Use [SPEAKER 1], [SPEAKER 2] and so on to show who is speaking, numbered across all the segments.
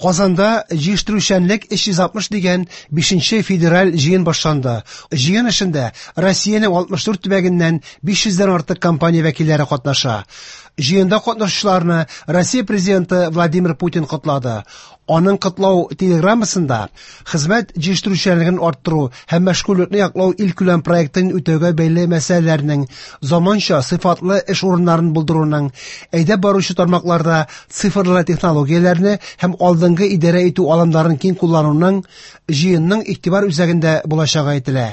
[SPEAKER 1] Казанда җыештыручанлык 360 дигән 5нче федераль җыен башланды. Җыен эшендә Россиянең 64 төбәгеннән 500 дән артык компания вәкилләре катнаша. Җыенда катнашучыларны Россия президенты Владимир Путин котлады. Аның котлау телеграммасында хезмәт җитештерүчәнлеген арттыру һәм мәшгульлекне яклау илкүләм проектын үтәүгә бәйле мәсьәләләрнең, заманча сыйфатлы эш урыннарын булдыруның, әйдәп баручы тармакларда цифрлы технологияләрне һәм алдынгы идарә итү алымнарын киң куллануның җыенның игътибар үзәгендә булачагы әйтелә.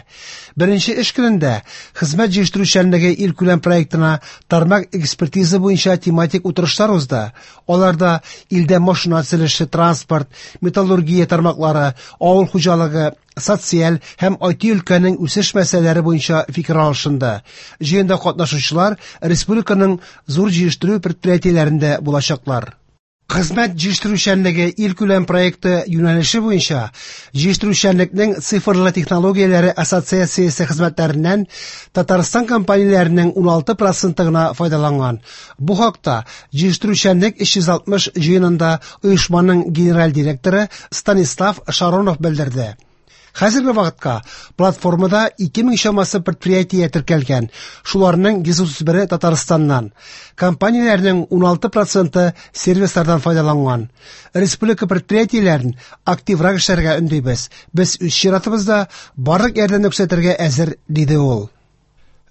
[SPEAKER 1] Беренче эш көнендә хезмәт җитештерүчәнлеге илкүләм проектына тармак экспертиза буенча тематик утырышлар узды. Аларда илдә машина төзелеше, транспорт, металлургия тармаклары, авыл хуҗалыгы, социаль һәм IT өлкәнең үсеш мәсьәләләре буенча фикер алышынды. Җыенда катнашучылар республиканың зур җитештерү предприятиеләрендә булачаклар. Хезмәт җитештерүчәнлеге илкүләм проекты юнәлеше буенча җитештерүчәнлекнең цифрлы технологияләре ассоциациясе хезмәтләреннән Татарстан компанияләренең 16% гына файдаланган. Бу хакта җитештерүчәнлек 360 җыенында оешманың генераль директоры Станислав Шаронов белдерде. Хәзерге вакытка платформада 2000 чамасы предприятие теркәлгән, шуларның 131-е Татарстаннан. Компанияләрнең 16% сервислардан файдаланган. Республика предприятиеләрен активрак эшләргә өндибез. Без үз чиратыбызда барлык ярдәмне күрсәтергә әзер, диде ул.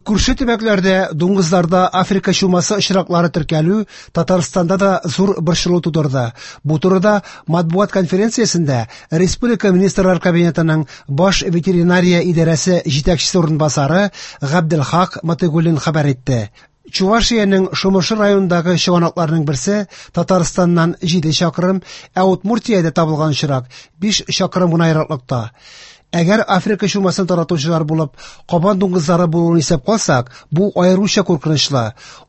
[SPEAKER 1] Күрше төбәкләрдә дуңгызларда Африка чумасы очраклары теркәлү Татарстанда да зур борчылу тудырды. Бу турыда матбугат конференциясендә Республика Министрлар Кабинетының баш ветеринария идарәсе җитәкчесе урынбасары Габделхак Матыгуллин хәбәр итте. Чувашиянең Шомыршы районындагы чыганакларның берсе Татарстаннан 7 чакрым, ә Удмуртиядә табылган очрак 5 чакрым гына ераклыкта. Әгәр Африка чумасын таратучылар булып кабан дуңгызлары булуын исәп калсак, бу аеруча куркынычлы.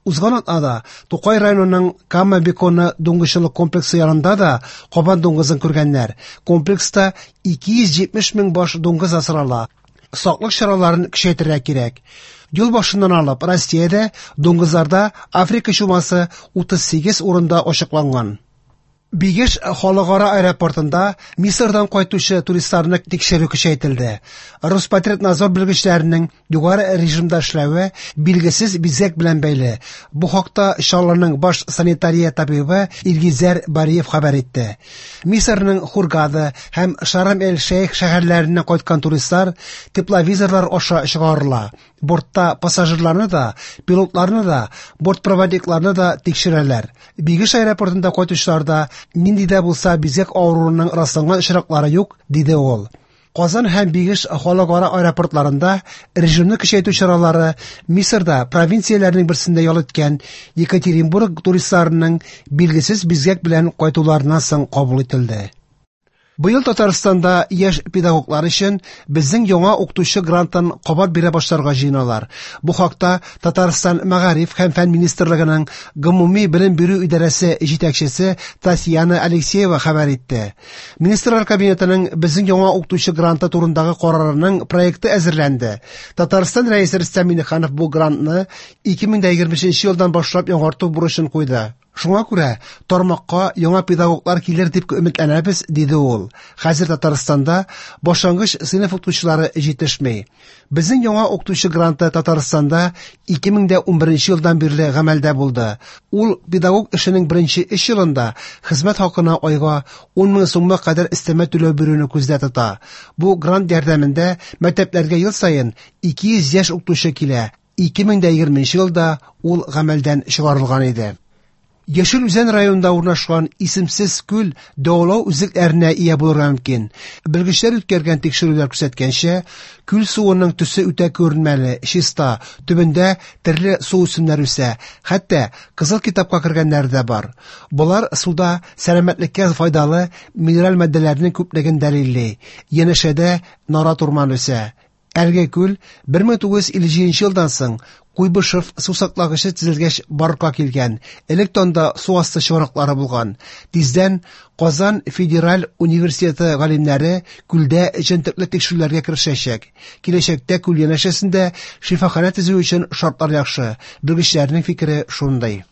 [SPEAKER 1] Узган атнада Тукай районының Кама Беконы дуңгызчылык комплексы янында да кабан дуңгызын күргәннәр. Комплекста 270 мең баш дуңгыз асрала. Саклык чараларын көчәйтергә кирәк. Ел башыннан алып Россиядә дуңгызларда Африка чумасы 38 урында ачыкланган. Бигеш халыкара аэропортында Мисырдан кайтучы туристларны тикшерү көчәйтелде. Роспотребнадзор белгечләренең югары режимда эшләве билгесез бизгәк белән бәйле. Бу хакта Чаллының баш санитария табибы Илгизәр Бариев хәбәр итте. Мисырның Хургада һәм Шарм-эль-Шейх шәһәрләреннән кайткан туристлар тепловизорлар аша чыгарыла. Бортта пассажирларны да, пилотларны да, бортпроводникларны да тикшерәләр. Бигеш аэропортында кайтучыларда нинди дә булса бизгәк авыруының расланган очраклары юк, диде ул. Казан һәм Бигеш халыкара аэропортларында режимны көчәйтү чаралары Мисырда провинцияләрнең берсендә ял иткән Екатеринбург туристларының билгесез бизгәк белән кайтуларыннан соң кабул ителде. Быел Татарстанда яшь педагоглар өчен безнең яңа укытучы грантын кабат бирә башларга җыеналар. Бу хакта Татарстан Мәгариф һәм фән министрлыгының гомуми белем бирү идарәсе җитәкчесе Татьяна Алексеева хәбәр итте. Министрлар кабинетының безнең яңа укытучы гранты турындагы карарының проекты әзерләнде. Татарстан Рәисе Рөстәм Миңнеханов бу грантны 2025 елдан башлап яңарту бурычын куйды. Шуңа күрә тармакка яңа педагоглар килер дип өметләнәбез, диде ул. Хәзер Татарстанда башлангыч сыйныф укытучылары җитешми. Безнең яңа укытучы гранты Татарстанда 2011 елдан бирле гамәлдә булды. Ул педагог эшенең беренче 3 елында хезмәт хакына айга 10 мең сумга кадәр өстәмә түләү бирүне күздә тота. Бу грант ярдәмендә мәктәпләргә ел саен 200 яшь укытучы килә. 2020 елда ул гамәлдән чыгарылган иде. Яшел Үзән районында урнашкан исемсез күл дәвалау үзлекләренә ия булырга мөмкин. Белгечләр үткәргән тикшерүләр күрсәткәнчә, күл суының төсе үтә күренмәле, чиста, төбендә төрле су үсемнәре үсә, хәтта кызыл китапка кергәннәре дә бар. Болар суда сәламәтлеккә файдалы минераль матдәләрнең күплеген дәлилли. Янәшәдә нарат урманы үсә. Әлеге күл 1957 елдан соң Куйбышев су саклагычы төзелгәч барлыкка килгән. Элек анда су асты чыганаклары булган. Тиздән Казан федераль университеты галимнәре күлдә җентекле тикшерүләргә керешәчәк. Киләчәктә күл янәшәсендә шифаханә төзү өчен шартлар яхшы. Белгечләрнең фикере шундый.